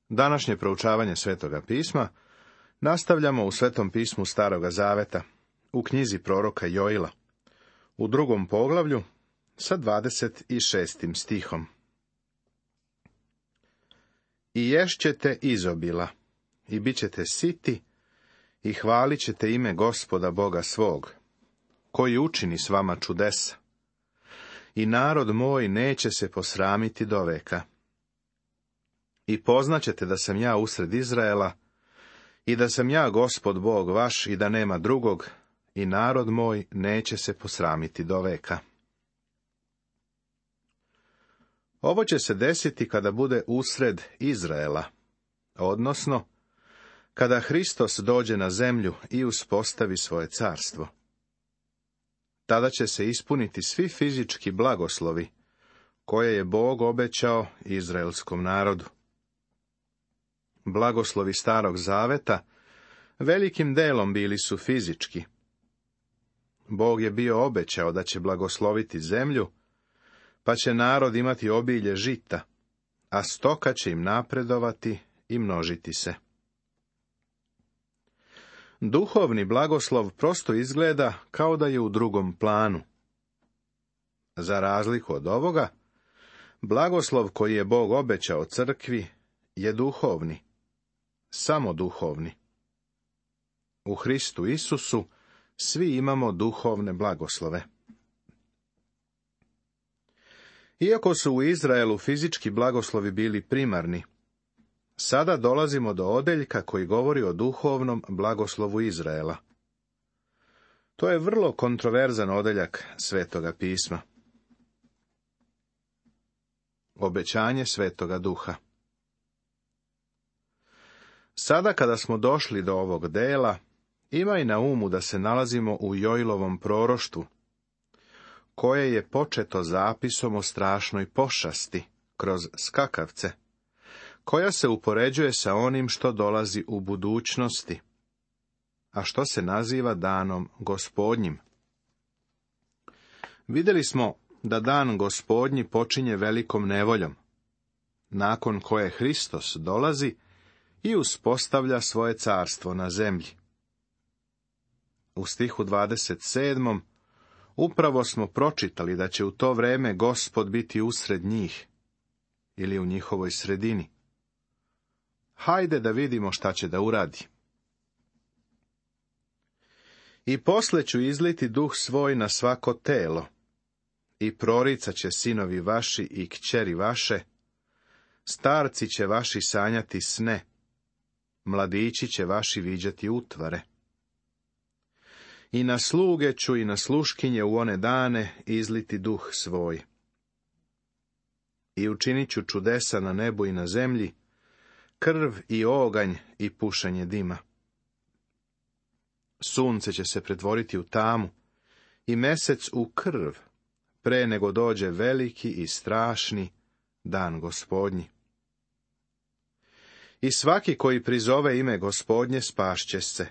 Današnje proučavanje Svetoga pisma nastavljamo u Svetom pismu Staroga zaveta, u knjizi proroka Joila, u 2. poglavlju sa 26. stihom. I ješćete izobila, i bit ćete siti, i hvalit ćete ime Gospoda Boga svog, koji učini s vama čudesa. I narod moj neće se posramiti doveka. I poznaćete da sam ja usred Izraela, i da sam ja Gospod Bog vaš, i da nema drugog, i narod moj neće se posramiti doveka. Ovo će se desiti kada bude usred Izraela, odnosno kada Hristos dođe na zemlju i uspostavi svoje carstvo. Tada će se ispuniti svi fizički blagoslovi koje je Bog obećao izraelskom narodu. Blagoslovi Starog zaveta velikim delom bili su fizički. Bog je bio obećao da će blagosloviti zemlju, pa će narod imati obilje žita, a stoka će im napredovati i množiti se. Duhovni blagoslov prosto izgleda kao da je u drugom planu. Za razliku od ovoga, blagoslov koji je Bog obećao crkvi je duhovni, samo duhovni. U Hristu Isusu svi imamo duhovne blagoslove. Iako su u Izraelu fizički blagoslovi bili primarni, sada dolazimo do odeljka koji govori o duhovnom blagoslovu Izraela. To je vrlo kontroverzan odeljak Svetoga pisma. Obećanje Svetoga Duha. Sada kada smo došli do ovog dela, imaj na umu da se nalazimo u Joilovom proroštvu, koje je početo zapisom o strašnoj pošasti kroz skakavce, koja se upoređuje sa onim što dolazi u budućnosti, a što se naziva danom Gospodnjim. Vidjeli smo da dan Gospodnji počinje velikom nevoljom, nakon koje Hristos dolazi i uspostavlja svoje carstvo na zemlji. U stihu 27. upravo smo pročitali da će u to vreme Gospod biti usred njih, ili u njihovoj sredini. Hajde da vidimo šta će da uradi. I posle ću izliti duh svoj na svako telo, i proricat će sinovi vaši i kćeri vaše, starci će vaši sanjati sne, mladići će vaši viđati utvare. I na sluge ću i na sluškinje u one dane izliti duh svoj. I učinit ću čudesa na nebu i na zemlji, krv i oganj i pušenje dima. Sunce će se pretvoriti u tamu i mesec u krv, pre nego dođe veliki i strašni dan Gospodnji. I svaki koji prizove ime Gospodnje spašće se,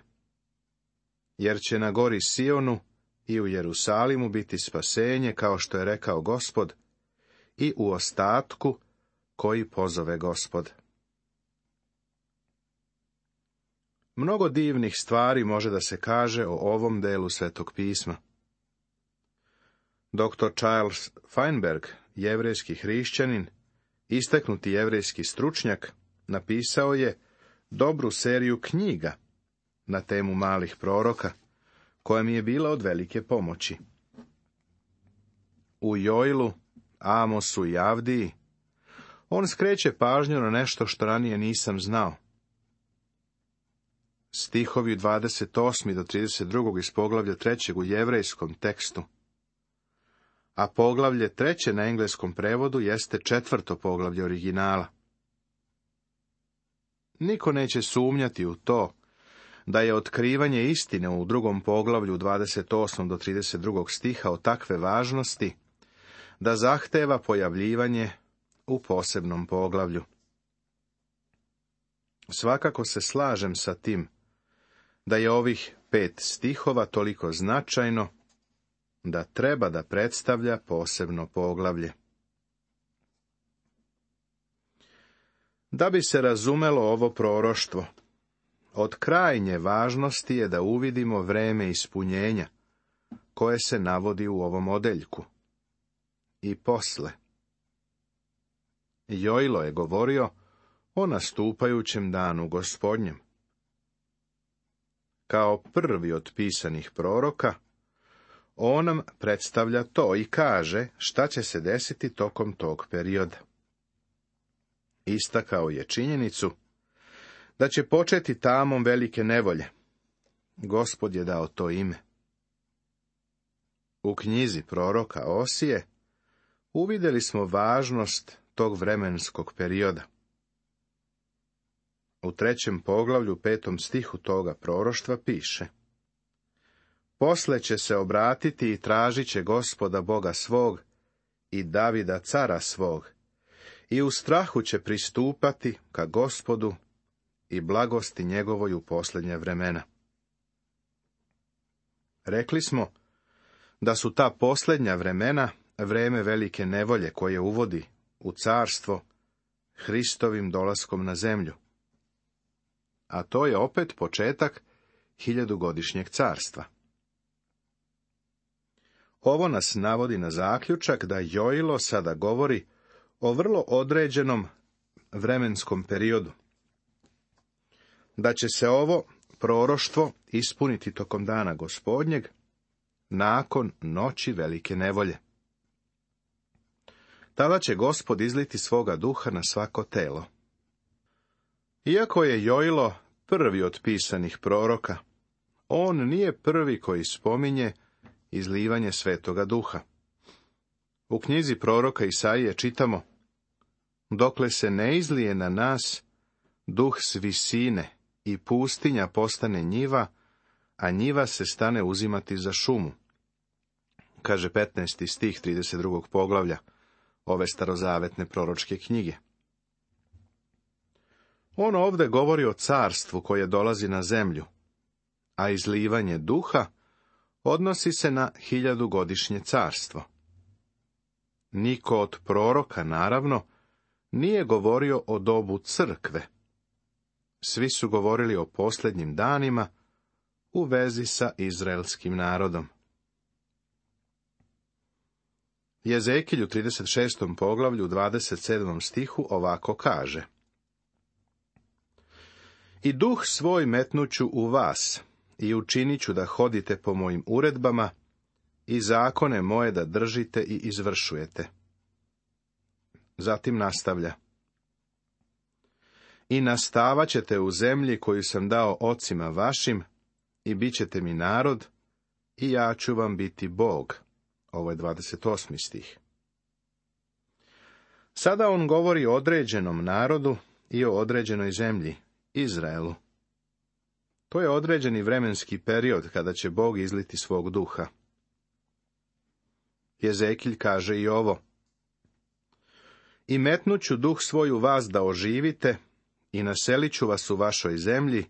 jer će na gori Sionu i u Jerusalimu biti spasenje, kao što je rekao Gospod, i u ostatku koji pozove Gospod. Mnogo divnih stvari može da se kaže o ovom delu Svetog pisma. Dr. Charles Feinberg, jevrejski hrišćanin, istaknuti jevrejski stručnjak, napisao je dobru seriju knjiga na temu malih proroka, koja mi je bila od velike pomoći. U Joilu, Amosu i Avdiji on skreće pažnju na nešto što ranije nisam znao. Stihovi 28. do 32. iz poglavlja 3. u jevrejskom tekstu, a poglavlje 3. na engleskom prevodu jeste 4. poglavlje originala. Niko neće sumnjati u to da je otkrivanje istine u 2. poglavlju 28. do 32. stiha od takve važnosti da zahteva pojavljivanje u posebnom poglavlju. Svakako se slažem sa tim da je ovih 5 stihova toliko značajno da treba da predstavlja posebno poglavlje. Da bi se razumelo ovo proroštvo, od krajnje važnosti je da uvidimo vreme ispunjenja, koje se navodi u ovom odeljku. I posle. Jojlo je govorio o nastupajućem danu Gospodnjem. Kao prvi od pisanih proroka, on nam predstavlja to i kaže šta će se desiti tokom tog perioda. Istakao je činjenicu da će početi tamom velike nevolje. Gospod je dao to ime. U knjizi proroka Osije uvidjeli smo važnost tog vremenskog perioda. U 3. poglavlju 5. stihu toga proroštva piše: Posle će se obratiti i tražit će Gospoda Boga svog i Davida cara svog, i u strahu će pristupati ka Gospodu i blagosti njegovoj u posljednja vremena. Rekli smo da su ta posljednja vremena vreme velike nevolje koje uvodi u carstvo Hristovim dolaskom na zemlju. A to je opet početak 1000-godišnjeg carstva. Ovo nas navodi na zaključak da Jojlo sada govori o vrlo određenom vremenskom periodu. Da će se ovo proroštvo ispuniti tokom dana Gospodnjeg, nakon noći velike nevolje. Tada će Gospod izliti svoga duha na svako telo. Iako je Jojlo prvi od pisanih proroka, on nije prvi koji spominje izlivanje svetoga duha. U knjizi proroka Isaije čitamo: Dokle se ne izlije na nas duh s visine i pustinja postane njiva, a njiva se stane uzimati za šumu. Kaže 15. stih 32. poglavlja ove starozavetne proročke knjige. On ovdje govori o carstvu koje dolazi na zemlju, a izlivanje duha odnosi se na 1000-godišnje carstvo. Niko od proroka, naravno, nije govorio o dobu crkve. Svi su govorili o posljednjim danima u vezi sa izraelskim narodom. Jezekilj u 36. poglavlju 27. stihu ovako kaže: I duh svoj metnuću u vas i učinit ću da hodite po mojim uredbama i zakone moje da držite i izvršujete. Zatim nastavlja: I nastavat ćete u zemlji koju sam dao ocima vašim i bit ćete mi narod i ja ću vam biti Bog. Ovo je 28. stih. Sada on govori o određenom narodu i o određenoj zemlji, Izraelu. To je određeni vremenski period kada će Bog izliti svog duha. Jezekilj kaže i ovo: I metnuću duh svoj u vas da oživite i naselit ću vas u vašoj zemlji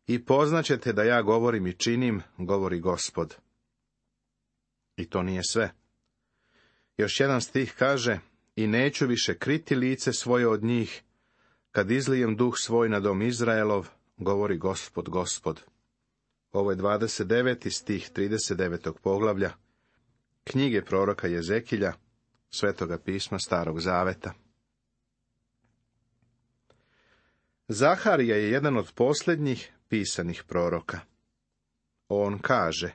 i poznaćete da ja govorim i činim, govori Gospod. I to nije sve. Još jedan stih kaže: I neću više kriti lice svoje od njih, kad izlijem duh svoj na dom Izraelov, govori Gospod, Gospod. Ovo je 29. stih 39. poglavlja knjige proroka Jezekilja, Svetoga pisma Starog zaveta. Zaharija je jedan od posljednjih pisanih proroka. On kaže: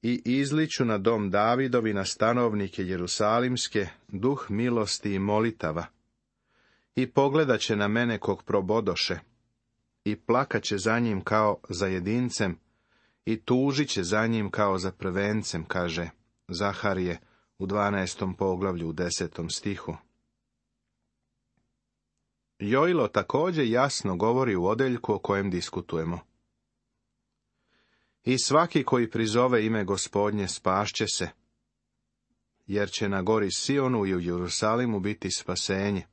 I izliću na dom Davidovi, na stanovnike Jerusalimske, duh milosti i molitava. I pogledat će na mene kog probodoše, i plakat će za njim kao za jedincem, i tužit će za njim kao za prvencem, kaže Zaharije u 12. poglavlju u 10. stihu. Jojlo također jasno govori u odeljku o kojem diskutujemo. I svaki koji prizove ime Gospodnje spašće se, jer će na gori Sionu i u Jerusalimu biti spasenje.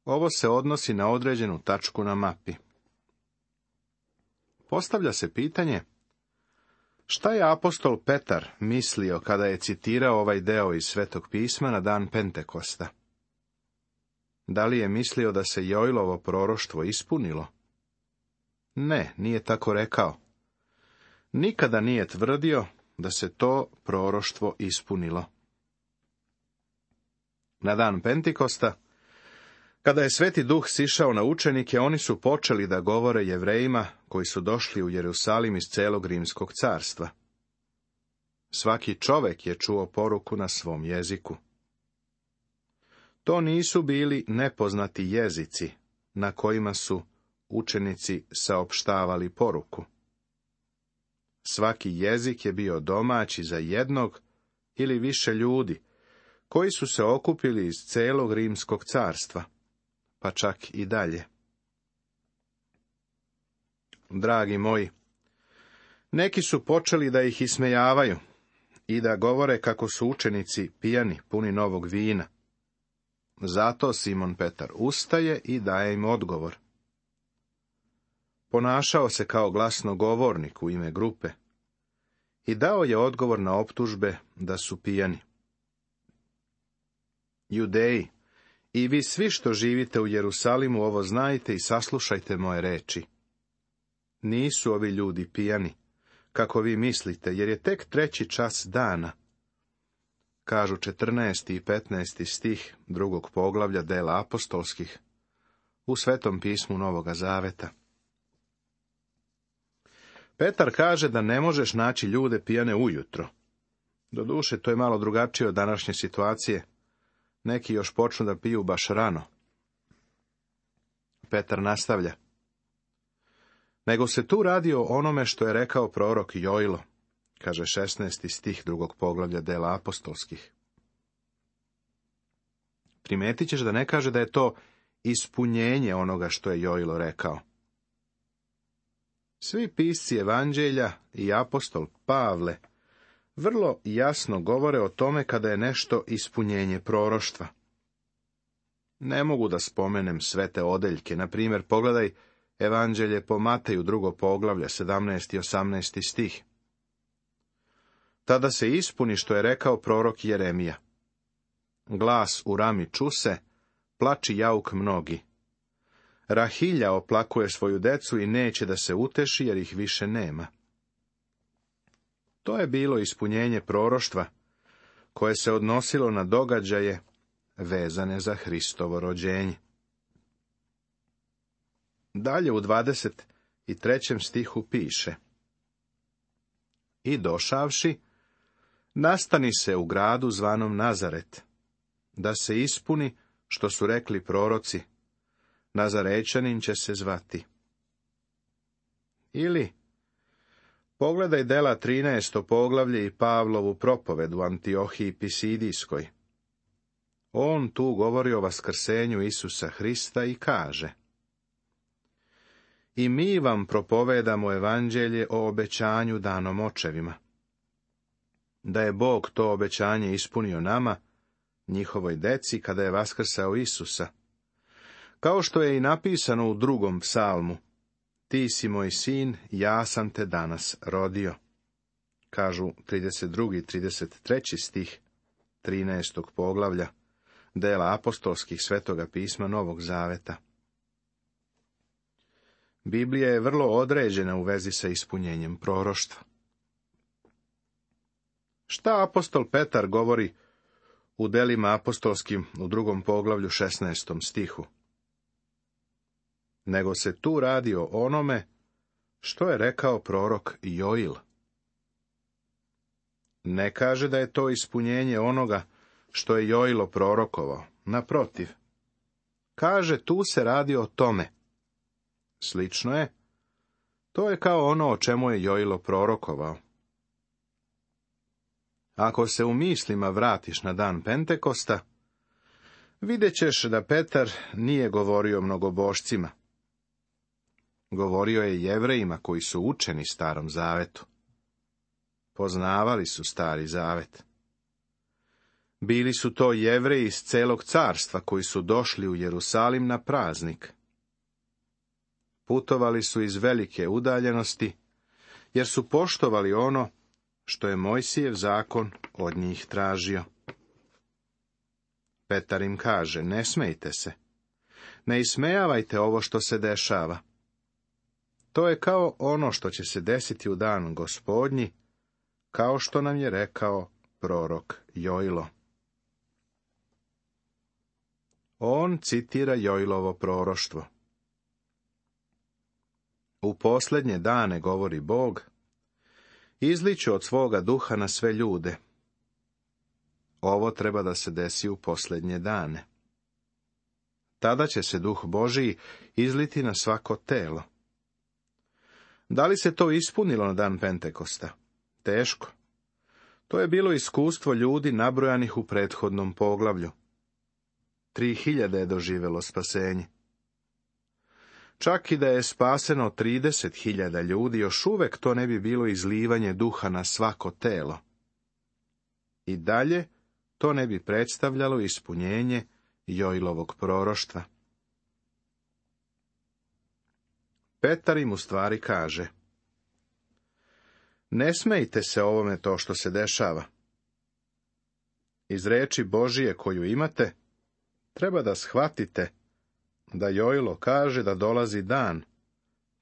Ovo se odnosi na određenu tačku na mapi. Postavlja se pitanje: šta je apostol Petar mislio kada je citirao ovaj deo iz Svetog pisma na dan Pentekosta? Da li je mislio da se Joilovo proroštvo ispunilo? Ne, nije tako rekao. Nikada nije tvrdio da se to proroštvo ispunilo. Na dan Pentikosta, kada je Sveti Duh sišao na učenike, oni su počeli da govore Jevrejima koji su došli u Jerusalim iz celog Rimskog carstva. Svaki čovek je čuo poruku na svom jeziku. To nisu bili nepoznati jezici na kojima su učenici saopštavali poruku. Svaki jezik je bio domaći za jednog ili više ljudi, koji su se okupili iz celog Rimskog carstva, pa čak i dalje. Dragi moji, neki su počeli da ih ismejavaju i da govore kako su učenici pijani, puni novog vina. Zato Simon Petar ustaje i daje im odgovor. Ponašao se kao glasnogovornik u ime grupe i dao je odgovor na optužbe da su pijani. Judeji, i vi svi što živite u Jerusalimu ovo znajte i saslušajte moje reči. Nisu ovi ljudi pijani, kako vi mislite, jer je tek 3. čas dana. Kažu 14. i 15. stih 2. poglavlja dela apostolskih u Svetom pismu Novoga Zaveta. Petar kaže da ne možeš naći ljude pijane ujutro. Doduše, to je malo drugačije od današnje situacije. Neki još počnu da piju baš rano. Petar nastavlja. Nego se tu radi o onome što je rekao prorok Joilo, kaže 16. stih 2. poglavlja dela apostolskih. Primetit ćeš da ne kaže da je to ispunjenje onoga što je Joilo rekao. Svi pisci evanđelja i apostol Pavle vrlo jasno govore o tome kada je nešto ispunjenje proroštva. Ne mogu da spomenem sve te odeljke, na primjer, pogledaj evanđelje po Mateju 2. poglavlje 17. i 18. stih. Tada se ispuni što je rekao prorok Jeremija. Glas u rami čuse, plači jauk mnogi. Rahilja oplakuje svoju decu i neće da se uteši jer ih više nema. To je bilo ispunjenje proroštva koje se odnosilo na događaje vezane za Hristovo rođenje. Dalje u 23. stihu piše: I došavši, nastani se u gradu zvanom Nazaret, da se ispuni što su rekli proroci, Nazarećanin će se zvati. Ili, pogledaj dela 13. poglavlje i Pavlovu propovedu u Antiohiji Pisidijskoj. On tu govori o vaskrsenju Isusa Hrista i kaže: I mi vam propovedamo evanđelje o obećanju danom očevima. Da je Bog to obećanje ispunio nama, njihovoj deci, kada je vaskrsao Isusa. Kao što je i napisano u 2. psalmu: Ti si moj sin, ja sam te danas rodio. Kažu 32. i 33. stih 13. poglavlja dela apostolskih Svetoga pisma Novog Zaveta. Biblija je vrlo određena u vezi sa ispunjenjem proroštva. Šta apostol Petar govori u delima apostolskim u 2. poglavlju 16. stihu? Nego se tu radi o onome što je rekao prorok Joil. Ne kaže da je to ispunjenje onoga što je Joilo prorokovao, naprotiv. Kaže, tu se radi o tome. Slično je. To je kao ono o čemu je Joilo prorokovao. Ako se u mislima vratiš na dan Pentekosta, vidjet ćeš da Petar nije govorio mnogobošcima. Govorio je Jevrejima koji su učeni Starom Zavetu. Poznavali su Stari Zavet. Bili su to Jevreji iz celog carstva koji su došli u Jerusalim na praznik. Putovali su iz velike udaljenosti, jer su poštovali ono što je Mojsijev zakon od njih tražio. Petar im kaže, ne smejte se, Ne ismejavajte ovo što se dešava. To je kao ono što će se desiti u dan Gospodnji, kao što nam je rekao prorok Jojlo. On citira Jojlovo proroštvo. U posljednje dane, govori Bog, izliću od svoga duha na sve ljude. Ovo treba da se desi u posljednje dane. Tada će se duh Božiji izliti na svako telo. Da li se to ispunilo na dan Pentekosta? Teško. To je bilo iskustvo ljudi nabrojanih u prethodnom poglavlju. 3000 je doživjelo spasenje. Čak i da je spaseno 30.000 ljudi, još uvek to ne bi bilo izlivanje duha na svako telo. I dalje to ne bi predstavljalo ispunjenje Jojlovog proroštva. Petar im u stvari kaže: ne smejte se ovome to što se dešava. Iz reči Božije koju imate, treba da shvatite da Jojlo kaže da dolazi dan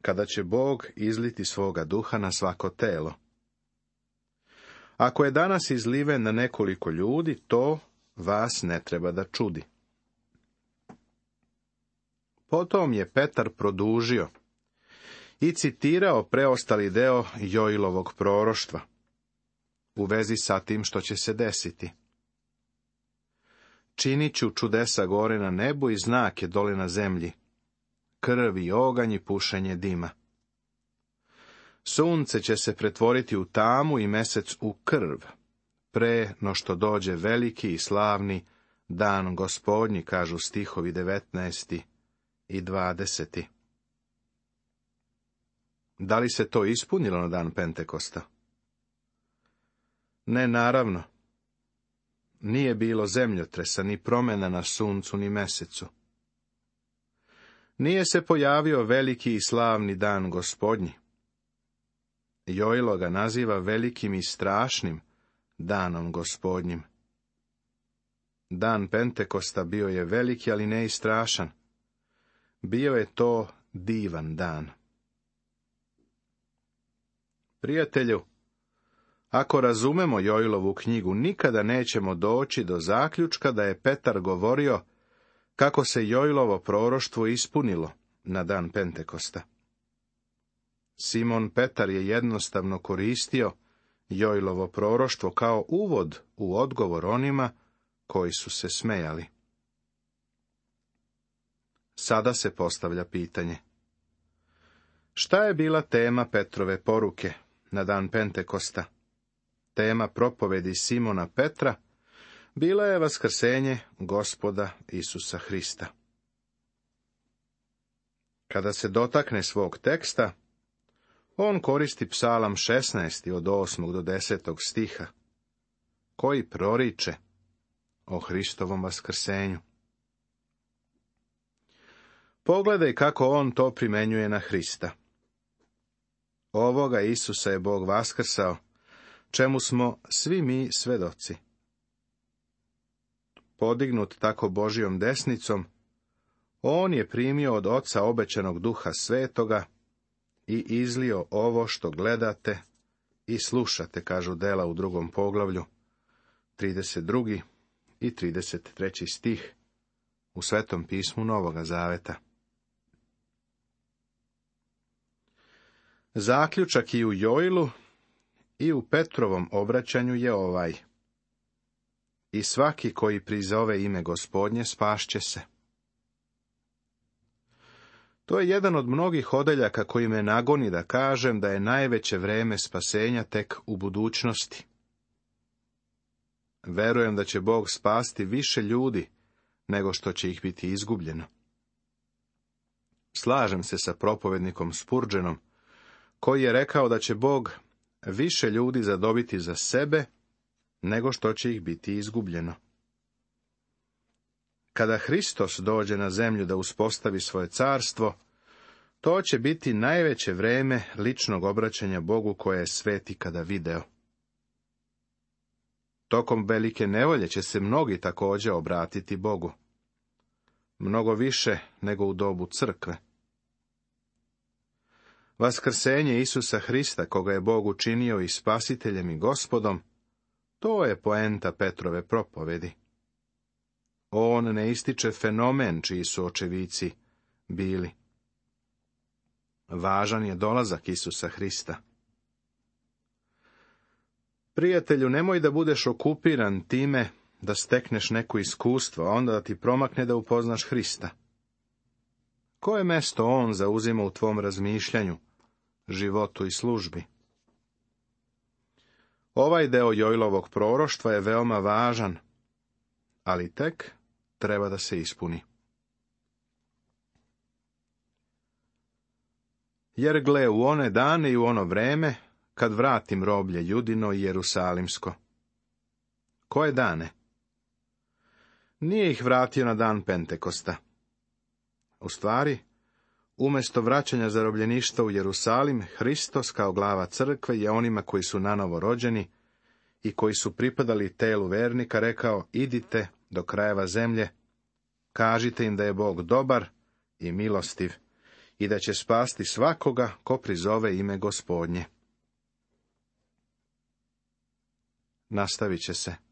kada će Bog izliti svoga duha na svako telo. Ako je danas izliven na nekoliko ljudi, to vas ne treba da čudi. Potom je Petar produžio i citirao preostali deo Jojlovog proroštva u vezi sa tim što će se desiti. Činit ću čudesa gore na nebu i znake dole na zemlji, krv i oganj i pušenje dima. Sunce će se pretvoriti u tamu i mesec u krv, pre no što dođe veliki i slavni dan Gospodnji, kažu stihovi 19. i 20. Da li se to ispunilo na dan Pentekosta? Ne, naravno. Nije bilo zemljotresa, ni promjena na suncu, ni mesecu. Nije se pojavio veliki i slavni dan Gospodnji. Jojlo ga naziva velikim i strašnim danom Gospodnjim. Dan Pentekosta bio je veliki, ali ne i strašan. Bio je to divan dan. Prijatelju, ako razumemo Jojlovu knjigu, nikada nećemo doći do zaključka da je Petar govorio kako se Jojlovo proroštvo ispunilo na dan Pentekosta. Simon Petar je jednostavno koristio Jojlovo proroštvo kao uvod u odgovor onima koji su se smejali. Sada se postavlja pitanje: šta je bila tema Petrove poruke na dan Pentekosta? Tema propovedi Simona Petra bila je vaskrsenje Gospoda Isusa Hrista. Kada se dotakne svog teksta, on koristi Psalam 16. od 8. do 10. stiha, koji proriče o Hristovom vaskrsenju. Pogledaj kako on to primenjuje na Hrista. Ovoga Isusa je Bog vaskrsao, čemu smo svi mi svedoci. Podignut tako Božijom desnicom, on je primio od Oca obećanog Duha Svetoga i izlio ovo što gledate i slušate, kažu dela u 2. poglavlju, 32. i 33. stih u Svetom pismu Novoga Zaveta. Zaključak i u Jojlu i u Petrovom obraćanju je ovaj: i svaki koji prizove ime Gospodnje spašće se. To je jedan od mnogih odeljaka koji me nagoni da kažem da je najveće vreme spasenja tek u budućnosti. Verujem da će Bog spasti više ljudi nego što će ih biti izgubljeno. Slažem se sa propovednikom Spurgeonom, koji je rekao da će Bog više ljudi zadobiti za sebe nego što će ih biti izgubljeno. Kada Hristos dođe na zemlju da uspostavi svoje carstvo, to će biti najveće vreme ličnog obraćanja Bogu koje je svet ikada video. Tokom velike nevolje će se mnogi također obratiti Bogu. mnogo više nego u dobu crkve. Vaskrsenje Isusa Hrista, koga je Bog učinio i spasiteljem i gospodom, to je poenta Petrove propovedi. On ne ističe fenomen čiji su očevici bili. Važan je dolazak Isusa Hrista. Prijatelju, nemoj da budeš okupiran time da stekneš neko iskustvo, a onda da ti promakne da upoznaš Hrista. Koje mesto on zauzima u tvom razmišljanju, životu i službi? Ovaj deo Joilovog proroštva je veoma važan, ali tek treba da se ispuni. Jer gle, u one dane i u ono vreme, kad vratim roblje Judino i Jerusalimsko. Koje dane? Nije ih vratio na dan Pentekosta. U stvari, umjesto vraćanja zarobljeništva u Jerusalim, Hristos kao glava crkve je onima koji su nanovo rođeni i koji su pripadali telu vernika rekao: idite do krajeva zemlje, kažite im da je Bog dobar i milostiv i da će spasti svakoga ko prizove ime Gospodnje. Nastavit će se.